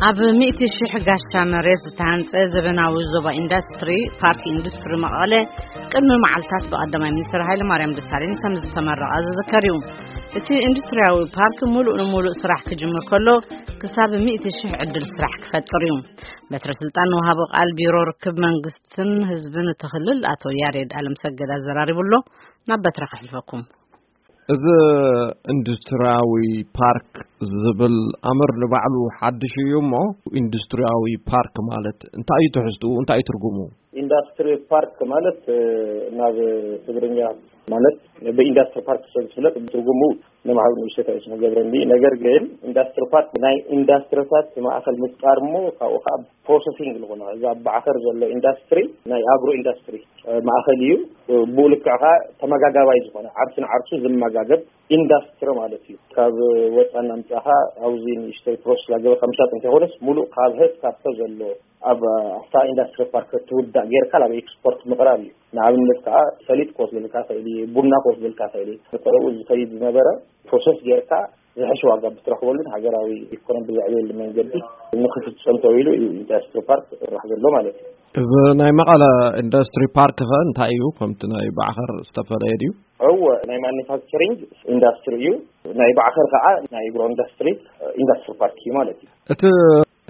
ኣብ ሚእቲ ሽሕ ጋሻ መሬት ዝተሃንጸ ዘበናዊ ዞባ ኢንዱስትሪ ፓርክ ኢንዱስትሪ መቐለ ቅድሚ መዓልታት ብቐዳማይ ሚኒስትር ሃይለ ማርያም ደሳለኝ ከም ዝተመረቐ ዝዝከር እዩ። እቲ ኢንዱስትሪያዊ ፓርክ ሙሉእ ንሙሉእ ስራሕ ክጅምር ከሎ ክሳብ ሚእቲ ሽሕ ዕድል ስራሕ ክፈጥር እዩ። በትረ ስልጣን ንወሃቦ ቃል ቢሮ ርክብ መንግስትን ህዝብን እቲ ክልል ኣቶ ያሬድ ኣለምሰገድ ኣዘራሪቡ ኣሎ። ናብ በትረ ከሕልፈኩም። እዚ ኢንዱስትሪያዊ ፓርክ ዝብል ኣምር ንባዕሉ ሓድሽ እዩ እሞ፣ ኢንዱስትሪያዊ ፓርክ ማለት እንታይ እዩ ትሕዝትኡ? እንታይ እዩ ትርጉሙ? ኢንዱስትሪ ፓርክ ማለት፣ እ፣ ናብ ትግርኛ ማለት ብኢንዱስትሪ ፓርክ ሰብ ዝፍለጥ ትርጉሙ ንማዕበል ንእሽተት ኣይስሙ ገብረኒ። ነገር ግን ኢንዱስትሪ ፓርክ ናይ ኢንዱስትሪታት ማእኸል ምፍጣር እሞ ካብኡ ከዓ ፕሮሰሲንግ ዝኾነ እዚ ኣብ ባዕኸር ዘሎ ኢንዱስትሪ ናይ ኣግሮ ኢንዱስትሪ፣ እ፣ ማእኸል እዩ። እ፣ ብኡ ልክዕ ከዓ ተመጋጋባይ ዝኾነ ዓርሲ ንዓርሱ ዝመጋገብ ኢንዱስትሪ ማለት እዩ። ካብ ወፃ እናምፃኻ ኣብዚ ንእሽተይ ፕሮሰስ ላገበ ከምሻጥ እንተይኮነስ ሙሉእ ካብ ህስ ካብቶ ዘሎ ኣብ ኣፍታ ኢንዱስትሪ ፓርክ ትውዳእ ጌርካ ናብ ኤክስፖርት ምቕራብ እዩ። ንኣብነት ከዓ ሰሊጥ ክወስደልካ ይኽእል እዩ፣ ቡና ክወስደልካ ይኽእል እዩ። ብጥረኡ ዝኸይድ ዝነበረ ፕሮሰስ ጌርካ ዝሕሽ ዋጋ ብትረኽበሉን ሃገራዊ ኢኮኖሚ ብዘዕብየሉ መንገዲ ንክፍፀም ተባሂሉ እዩ ኢንዱስትሪ ፓርክ ዝስራሕ ዘሎ ማለት እዩ። እዚ ናይ መቐለ ኢንዱስትሪ ፓርክ ኸ እንታይ እዩ? ከምቲ ናይ ባዕኸር ዝተፈለየ ድዩ? እወ፣ ናይ ማኑፋክቸሪንግ ኢንዱስትሪ እዩ። ናይ ባዕኸር ከዓ ናይ ኣግሮ ኢንዱስትሪ ኢንዱስትሪ ፓርክ እዩ ማለት እዩ። እቲ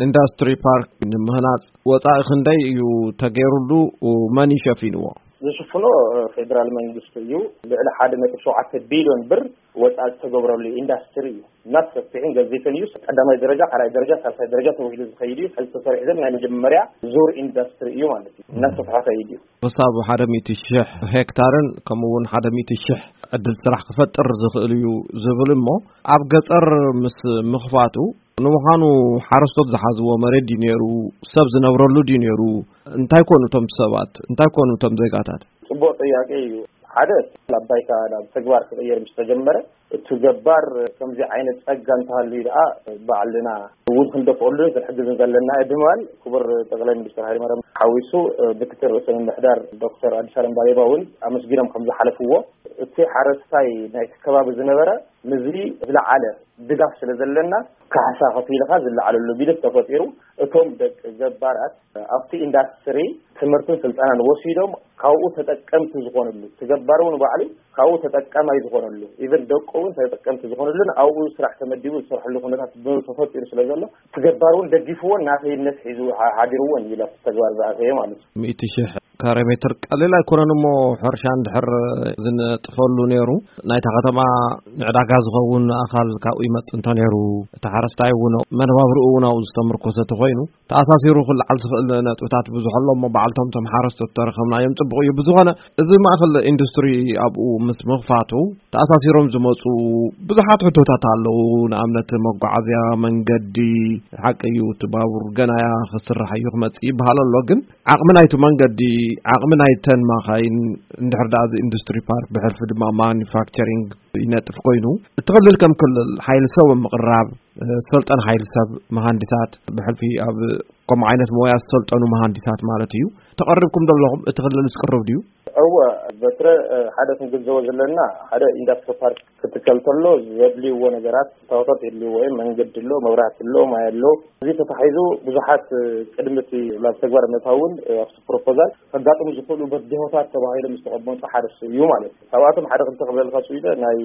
ኢንዱስትሪ ፓርክ ንምህናፅ ወፃኢ ክንደይ እዩ ተገይሩሉ? መን እዩ ሸፊንዎ? ዝሽፍኖ ፌደራል መንግስቲ እዩ። ልዕሊ ሓደ ነጥቢ ሸውዓተ ቢልዮን ብር ወፃኢ ዝተገብረሉ ኢንዱስትሪ እዩ። እናተሰፊሕን ገዚፍን እዩ። ቀዳማይ ደረጃ፣ ካልኣይ ደረጃ፣ ሳልሳይ ደረጃ ተባሂሉ ዝኸይድ እዩ። ሕዚ ተሰሪሑ ዘሎ ናይ መጀመርያ ዙር ኢንዱስትሪ እዩ ማለት እዩ። እናሰፍሐ ኸይድ እዩ። ክሳብ ሓደ ሚእቲ ሽሕ ሄክታርን ከምኡ እውን ሓደ ሚእቲ ሽሕ ዕድል ስራሕ ክፈጥር ዝኽእል እዩ ዝብል እሞ፣ ኣብ ገፀር ምስ ምኽፋቱ፣ ንምዃኑ ሓረስቶት ዝሓዝዎ መሬት ድዩ ነይሩ? ሰብ ዝነብረሉ ድዩ ነይሩ? እንታይ ኮኑ እቶም ሰባት? እንታይ ኮኑ እቶም ዜጋታት? ፅቡቅ ጥያቄ እዩ። ሓደ፣ ናብ ባይታ ናብ ተግባር ክቕየር ምስ ተጀመረ፣ እቲ ገባር ከምዚ ዓይነት ጸጋ እንተሃልዩ ደኣ ባዕልና እውን ክንደፍኦሉን ክንሕግዝን ዘለና እዩ ብምባል ክቡር ጠቕላይ ሚኒስትር ሃይለማርያም ሓዊሱ፣ ምክትል ርእሰ ምምሕዳር ዶክተር ኣዲስ ኣለም ባሌማ እውን ኣመስጊኖም ከም ዝሓለፍዎ፣ እቲ ሓረስታይ ናይቲ ከባቢ ዝነበረ ምስዚ ዝለዓለ ድጋፍ ስለ ዘለና፣ ካሕሳ ከፊልካ ዝለዓለሉ ቢልት ተፈጢሩ፣ እቶም ደቂ ገባራት ኣብቲ ኢንዳስትሪ ትምህርትን ስልጠናን ወሲዶም ካብኡ ተጠቀምቲ ዝኾንሉ፣ እቲ ገባር እውን ባዕሉ ካብኡ ተጠቀማይ ዝኾነሉ፣ ኢቨን ደቁ እውን ተጠቀምቲ ዝኾነሉን ኣብኡ ስራሕ ተመዲቡ ዝሰርሐሉ ኩነታት ተፈጢሩ ስለ ዘሎ፣ እቲ ገባር እውን ደጊፍዎን ናተይነት ሒዙ ሓ-፣ ሓዲርዎን እዩ ኣብቲ ተግባር ዝኣተየ ማለት እዩ። ሚእቲ ሽሕ ካሬ ሜትር ቀሊል ኣይኮነን እሞ፣ ሕርሻ እንድሕር ዝነጥፈሉ ነይሩ፣ ናይታ ከተማ ንዕዳጋ ዝኸውን ኣኻል ካብኡ ይመጽእ እንተ ነይሩ፣ እቲ ሓረስታይ እውን መነባብርኡ እውን ኣብኡ ዝተመርኮሰ ተኾይኑ፣ ተኣሳሲሩ ክለዓል ዝኽእል ነጥብታት ብዙሕ ኣሎ እሞ፣ በዓልቶም እቶም ሓረስቶት ተረኸብናዮም ጽቡቕ እዩ። ብዝኾነ፣ እዚ ማእከል ኢንዱስትሪ ኣብኡ ምስ ምኽፋቱ፣ ተኣሳሲሮም ዝመጹ ብዙሓት ሕቶታት ኣለዉ። ንኣብነት፣ መጓዓዝያ፣ መንገዲ፣ ሓቂ እዩ፣ እቲ ባቡር ገና እያ ክስራሕ እዩ ክመጽእ ይበሃል ኣሎ። ግን ዓቕሚ ናይቲ መንገዲ፣ ዓቕሚ ናይተን ማኻይን፣ እንድሕር ደኣ እዚ ኢንዱስትሪ ፓርክ ብሕልፊ ድማ ማኑፋክቸሪንግ ይነጥፍ ኮይኑ፣ እቲ ክልል ከም ክልል ሓይሊ ሰብ ኣብ ምቕራብ፣ እ፣ ሰልጠን ሓይሊ ሰብ፣ መሃንዲሳት፣ ብሕልፊ ኣብ ከምኡ ዓይነት ሞያ ዝሰልጠኑ መሃንዲሳት ማለት እዩ። ተቐሪብኩም ዘለኹም እቲ ክልል ዝቅርብ ድዩ? እወ፣ በትረ፣ እ፣ ሓደ ክንግንዘቦ ዘለና፣ ሓደ ኢንዱስትሪ ፓርክ ክትከል ተሎ ዘድልይዎ ነገራት፣ ታወታት የድልይዎ እዮም። መንገዲ ኣሎ፣ መብራህቲ ኣሎ፣ ማይ ኣሎ። እዚ ተታሒዙ ብዙሓት፣ እ፣ ቅድሚ እቲ ናብ ተግባር ምእታውን፣ እ፣ ኣብቲ ፕሮፖዛል ከጋጥሙ ዝኽእሉ በድሆታት ተባሂሎም ዝተቐመጡ ሓደ እሱ እዩ ማለት እዩ። ካብኣቶም ሓደ ክልተ ክብለልካ ስኢለ፣ ናይ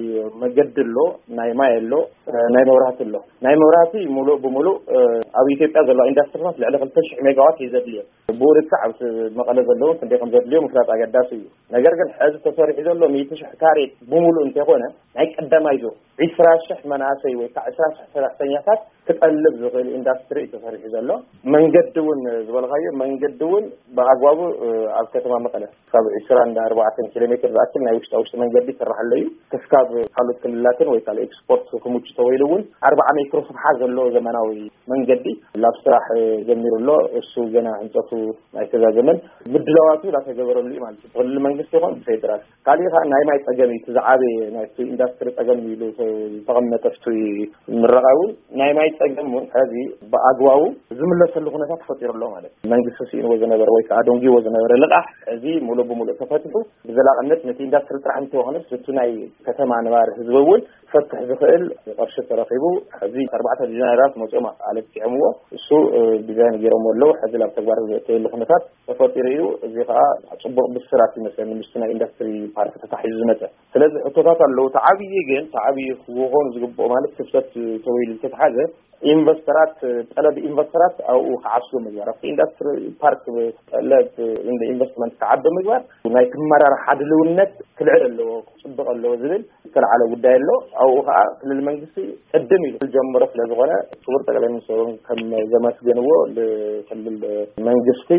መገዲ ኣሎ፣ ናይ ማይ ኣሎ፣ እ፣ ናይ መብራህቲ ኣሎ። ናይ መብራህቲ ሙሉእ ብሙሉእ፣ እ፣ ኣብ ኢትዮጵያ ዘለዋ ኢንዳስትሪታት ልዕሊ ክልተ ሽሕ ሜጋዋት እዩ ዘድልዮ። ብኡ ልክዕ ኣብ መቐለ ዘለዉ ክንደይ ከም ዘድልዮ ምፍላጥ ኣገዳሲ እዩ። ነገር ግን ሕዚ ተሰሪሑ ዘሎ ሚእቲ ሽሕ ካሬ ብሙሉእ እንተይኮነ፣ ናይ ቀዳማይ ዙር ዒስራ ሽሕ መናእሰይ ወይ ከዓ ዒስራ ሽሕ ሰራሕተኛታት ክጠልብ ዝኽእል ኢንዳስትሪ እዩ ተሰሪሑ ዘሎ። መንገዲ እውን ዝበልካዮ መንገዲ እውን ብኣግባቡ፣ እ፣ ኣብ ከተማ መቐለ ካብ ዒስራን ኣርባዕተን ኪሎ ሜትር ዝኣክል ናይ ውሽጣ ውሽጢ መንገዲ ይስራሕ ኣሎ እዩ። ክስካብ ካልኦት ክልላትን ወይ ካልእ ኤክስፖርት ክምቹ ተባሂሉ እውን ኣርብዓ ሜትሮ ስፍሓት ዘለዎ ዘመናዊ መንገዲ ላብ ስራሕ ጀሚሩ ኣሎ። እሱ ገና ህንፀቱ ኣይተዛዘመን፣ ምድላዋቱ እንዳተገበረሉ እዩ ማለት እዩ። ብመንግስቲ ይኹን ብፌደራል። ካሊእ ከዓ ናይ ማይ ፀገም እዩ፣ እቲ ዝዓበየ ናይ ኢንዱስትሪ ፀገም ኢሉ ዝተቐመጠ ፍቱይ ምረቓ እውን ናይ ማይ ፀገም እውን ሕዚ ብኣግባቡ ዝምለሰሉ ኩነታት ተፈጢሩ ኣሎ ማለት እዩ። መንግስቲ ስኢንዎ ዝነበረ ወይ ከዓ ደንጊዎ ዝነበረ ልቓሕ ሕዚ ሙሉእ ብሙሉእ ተፈቲሑ ብዘላቕነት ነቲ ኢንዱስትሪ ጥራሕ እንተይኮነስ እቲ ናይ ከተማ ነባሪ ህዝቢ እውን ክፈትሕ ዝኽእል ቅርሺ ተረኺቡ። ሕዚ ኣርባዕተ ቢልዮነራት መፅኦም ኣለኪዖምዎ፣ እሱ ዲዛይን ገይሮም ኣለዉ። ሕዚ ናብ ተግባር ዘእተየሉ ኩነታት ተፈጢሩ እዩ። እዚ ከዓ ፅቡቕ ብስራት ይመስለኒ ምስቲ ናይ ኢንዱስትሪ ፓርክ ተታሒዙ ዝመፀ። ስለዚ ሕቶታት ኣለዉ። እቲ ዓብዪ ግን እቲ ዓብዪ ክኾኑ ዝግብኦ ማለት ክፍተት ተወይሉ ዝተትሓዘ ኢንቨስተራት፣ ጠለብ ኢንቨስተራት ኣብኡ ክዓስሉ ምግባር፣ ኣብቲ ኢንዱስትሪ ፓርክ ጠለብ ኢንቨስትመንት ክዓቢ ምግባር ናይ ክመራርሓ ድልውነት ክልዕል ኣለዎ፣ ክፅብቕ ኣለዎ ዝብል ዝተለዓለ ጉዳይ ኣሎ። ኣብኡ ከዓ ክልል መንግስቲ ቅድም ኢሉ ዝጀመሮ ስለ ዝኾነ ክቡር ጠቅላይ ሚኒስትር እውን ከም ዘመስገንዎ ንክልል መንግስቲ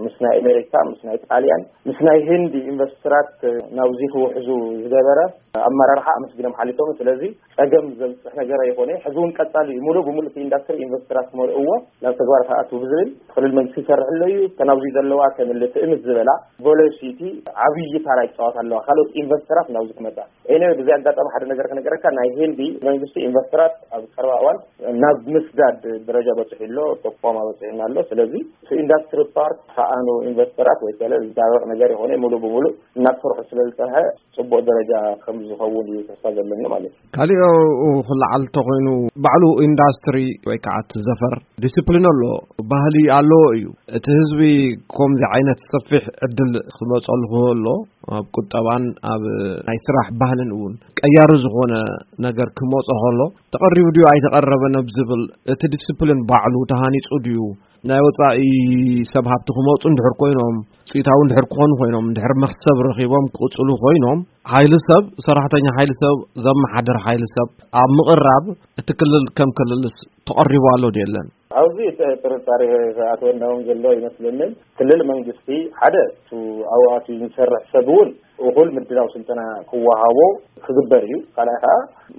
ምስ ናይ ኣሜሪካ፣ ምስ ናይ ጣልያን፣ ምስ ናይ ህንዲ ኢንቨስተራት ናብዚ ክውሕዙ ዝገበረ ኣመራርሓ ኣመስጊኖም ሓሊፎም። ስለዚ ፀገም ዘብፅሕ ነገር ኣይኮነ። ሕዚ እውን ቀፃሊ እዩ። ሙሉእ ብሙሉእ እቲ ኢንዱስትሪ ኢንቨስተራት ክመልእዎ ናብ ተግባር ክኣትው ብዝብል ክልል መንግስቲ ይሰርሕ ኣሎ እዩ። እተን ኣብዚ ዘለዋ ከም እለ ትእምት ዝበላ ቬሎሲቲ ዓብዪ ታራ ይፃወት ኣለዋ። ካልኦት ኢንቨስተራት ናብዚ ክመፃ። ኤኒወይ፣ ብዚ ኣጋጣሚ ሓደ ነገር ክነገረካ፣ ናይ ህንዲ መንግስቲ ኢንቨስተራት ኣብ ቀረባ እዋን ናብ ምስዳድ ደረጃ በፂሑ ኣሎ፣ ተቋም በፂሑና ኣሎ። ስለዚ እቲ ኢንዱስትሪ ፓርክ ከኣኑ ኢንቨስተራት ወይ ከለ ዝዳረቕ ነገር ይኾነ ሙሉእ ብሙሉእ እናሰርሑ ስለ ዝፀንሐ ፅቡቕ ደረጃ ከም ዝኸውን እዩ ተስፋ ዘለኒ ማለት እዩ። ካሊኦ ክለዓል እንተኮይኑ ባዕሉ ኢንዳስትሪ ወይ ከዓ እቲ ዘፈር ዲስፕሊን ኣሎ። ባህሊ ኣለዎ እዩ። እቲ ህዝቢ ከምዚ ዓይነት ሰፊሕ ዕድል ክመፀሉ ክህሎ ኣብ ቁጠባን ኣብ ናይ ስራሕ ባህልን እውን ቀያሪ ዝኾነ ነገር ክመፆ ከሎ ተቐሪቡ ድዩ ኣይተቐረበን ኣብ ዝብል እቲ ዲስፕሊን ባዕሉ ተሃኒፁ ድዩ ናይ ወፃኢ ሰብ ሃብቲ ክመፁ እንድሕር ኮይኖም፣ ውፅኢታዊ እንድሕር ክኾኑ ኮይኖም፣ እንድሕር መኽሰብ ረኺቦም ክቕፅሉ ኮይኖም፣ ሓይሊ ሰብ፣ ሰራሕተኛ ሓይሊ ሰብ፣ ዘመሓድር ሓይሊ ሰብ ኣብ ምቕራብ እቲ ክልል ከም ክልልስ ተቐሪቡ ኣሎ ድዩ የለን? ኣብዚ ጥ-፣ ጥርጣሬ ዝኣተወና እውን ዘሎ ይመስለንን። ክልል መንግስቲ ሓደ እቱ ኣብኡ ኣትዩ ዝሰርሕ ሰብ እውን እኹል ምድላው ስልጠና ክወሃቦ ክግበር እዩ። ካልኣይ ከዓ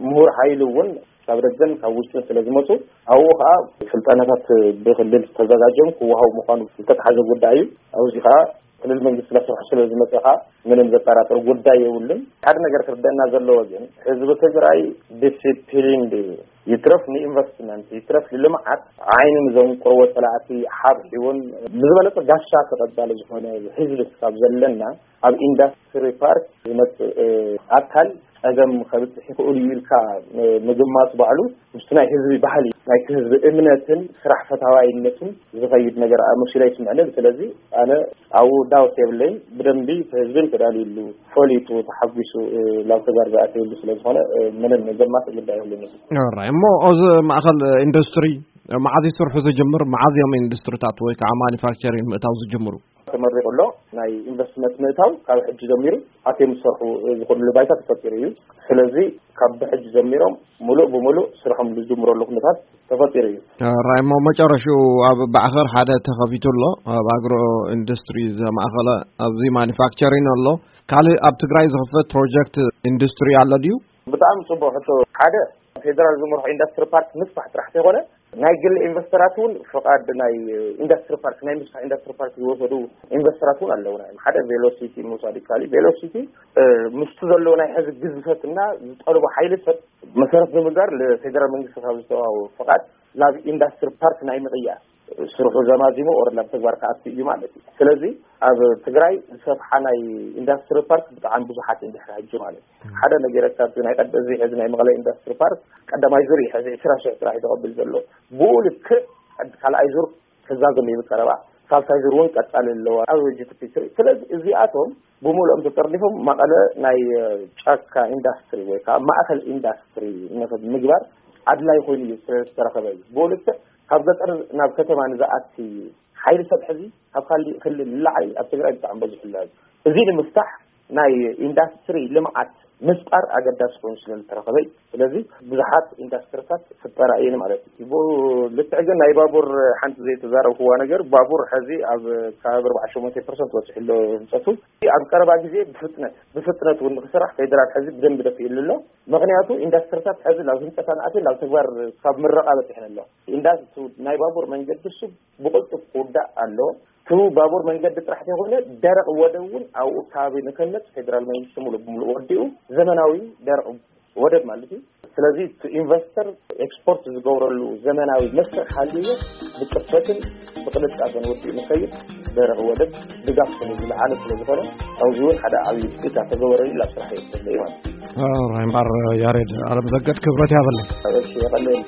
ምሁር ሓይሊ እውን ካብ ደገን ካብ ውሽጥን ስለ ዝመፁ ኣብኡ ከዓ ስልጠናታት ብክልል ተዘጋጆም ክወሃቡ ምዃኑ ዝተተሓዘ ጉዳይ እዩ። ኣብዚ ከዓ ክልል መንግስቲ እናሰርሐ ስለ ዝመፀ ከዓ ምንም ዘጠራጥር ጉዳይ የብሉን። ሓደ ነገር ክርደአና ዘለዎ ግን ህዝቢ ትግራይ ዲሲፕሊን ድዩ? ይትረፍ ንኢንቨስትመንት፣ ይትረፍ ንልምዓት ዓይኒ ንዘንቁርዎ ፀላእቲ ሓብሒቡን ብዝበለፀ ጋሻ ተቐባሊ ዝኾነ ህዝቢ ካብ ዘለና ኣብ ኢንዱስትሪ ፓርክ ዝመፅእ ኣካል ፀገም ከብፅሕ ይኽእሉ እዩ ኢልካ ምግማት ባዕሉ ምስቲ ናይ ህዝቢ ባህሊ፣ ናይቲ ህዝቢ እምነትን ስራሕ ፈታዋይነትን ዝኸይድ ነገር መሲሉ ኣይስምዐንን። ስለዚ ኣነ ኣብኡ ዳውት የብለይን። ብደንቢ ህዝብን ተዳልዩሉ፣ ፈሊጡ፣ ተሓጒሱ ናብ ተግባር ዝኣተየሉ ስለ ዝኾነ ምንም ዘማስእ ጉዳይ የብሉን። ራይ እሞ፣ እዚ ማእኸል ኢንዱስትሪ መዓዝ ይሰርሑ ዝጅምር? መዓዝ እዮም ኢንዱስትሪታት ወይ ከዓ ማኒፋክቸሪንግ ምእታው ዝጅምሩ? ተመሪቑ ኣሎ። ናይ ኢንቨስትመንት ምእታው ካብ ሕጂ ጀሚሩ ኣትዮም ዝሰርሑ ዝኽእሉሉ ባይታ ተፈጢሩ እዩ። ስለዚ ካብ ብሕጂ ጀሚሮም ሙሉእ ብሙሉእ ስርሖም ዝጅምረሉ ኩነታት ተፈጢሩ እዩ። ራይ እሞ፣ መጨረሽኡ ኣብ ባዕኸር ሓደ ተኸፊቱ ኣሎ፣ ኣብ ኣግሮ ኢንዱስትሪ ዘማእኸለ፣ ኣብዚ ማኒፋክቸሪንግ ኣሎ። ካልእ ኣብ ትግራይ ዝኽፈት ፕሮጀክት ኢንዱስትሪ ኣሎ ድዩ? ብጣዕሚ ጽቡቕ ሕቶ። ሓደ ፌደራል ዝመርሖ ኢንዱስትሪ ፓርክ ምስፋሕ ጥራሕ ዘይኮነ ናይ ግል ኢንቨስተራት እውን ፍቓድ ናይ ኢንዱስትሪ ፓርክ፣ ናይ ምስፋሕ ኢንዱስትሪ ፓርክ ዝወሰዱ ኢንቨስተራት እውን ኣለውና እዮም። ሓደ ቬሎሲቲ ምውሳድ ይከኣል እዩ። ቬሎሲቲ ምስቲ ዘለዎ ናይ ሕዚ ግዝፈትና ዝጠልቦ ሓይሊ ሰብ መሰረት ብምግባር ንፌደራል መንግስቲ ካብ ዝተዋሃቦ ፍቓድ ናብ ኢንዱስትሪ ፓርክ ናይ ምቕያር ስርሑ ዘማዚሙ ኦር ናብ ተግባር ክኣቱ እዩ ማለት እዩ። ስለዚ ኣብ ትግራይ ዝሰፍሓ ናይ ኢንዱስትሪ ፓርክ ብጣዕሚ ብዙሓት እዮም ድሕሪ ሕጂ ማለት እዩ። ሓደ ነገር ካብቲ ናይ ቀደ-፣ እዚ ሕዚ ናይ መቐለ ኢንዱስትሪ ፓርክ ቀዳማይ ዙር እዩ፣ ሕዚ ዕስራ ሽሕ ጥራሕ እዩ ተቐብል ዘሎ። ብኡ ልክዕ ቀድ-፣ ካልኣይ ዙር ክዛዘም እዩ ብቀረባ፣ ሳልሳይ ዙር እውን ቀጻሊ ኣለዋ ኣብ ጂ ቲ ፒ ስሪ። ስለዚ እዚኣቶም ብምልኦም ተጠርኒፎም መቐለ ናይ ጫካ ኢንዱስትሪ ወይ ከዓ ማእከል ኢንዱስትሪ ንኽምግባር ኣድላይ ኮይኑ እዩ ስለዝተረኸበ እዩ። ብኡ ልክዕ ካብ ገጠር ናብ ከተማ ንዝኣቲ ሓይሊ ሰብ ሕዚ ካብ ካሊእ ክልል ንላዕሊ ኣብ ትግራይ ብጣዕሚ በዚሑ ኣሎ። እዚ ንምፍታሕ ናይ ኢንዱስትሪ ልምዓት ምፍጣር ኣገዳሲ ኮይኑ ስለ ዝተረኸበ እዩ። ስለዚ ብዙሓት ኢንዱስትሪታት ክፍጠራ እየን ማለት እዩ። ብኡ ልክዕ ግን ናይ ባቡር ሓንቲ ዘይተዛረብክዋ ነገር፣ ባቡር ሕዚ ኣብ ከባቢ ኣርባዓ ሸሞንተ ፐርሰንት በፂሑ ኣሎ ህንፀቱ። ኣብ ቀረባ ግዜ ብፍጥነት፣ ብፍጥነት እውን ንክስራሕ ፌደራል ሕዚ ብደንቢ ደፊእሉ ኣሎ። ምኽንያቱ ኢንዱስትሪታት ሕዚ ናብ ህንፀት ኣንኣትየን ናብ ተግባር ካብ ምረቓ በፂሐን ኣሎ። ኢንዳስ-፣ ናይ ባቡር መንገዲ እሱ ብቕልጡፍ ክውዳእ ኣለዎ። እቲ ባቡር መንገዲ ጥራሕ ዘይኮነ ደረቕ ወደብ እውን ኣብኡ ከባቢ ንከነፅ ፌደራል መንግስቲ ሙሉእ ብሙሉእ ወዲኡ ዘመናዊ ደረቕ ወደብ ማለት እዩ። ስለዚ እቲ ኢንቨስተር ኤክስፖርት ዝገብረሉ ዘመናዊ መስርሕ ሃልዩ ብፅፈትን ብቅልጣፈን ወዲኡ ንኸይድ ደረቕ ወደብ ድጋፍ ስለ ዝለዓለ ስለ ዝኾነ ኣብዚ እውን ሓደ ዓብዪ ትፅቢት ተገበረሉ ኣብ ስራሕ እዩ ማለት እዩ። እምበር ያሬድ ኣለምሰገድ ክብረት ያበለይ። እሺ የቐለል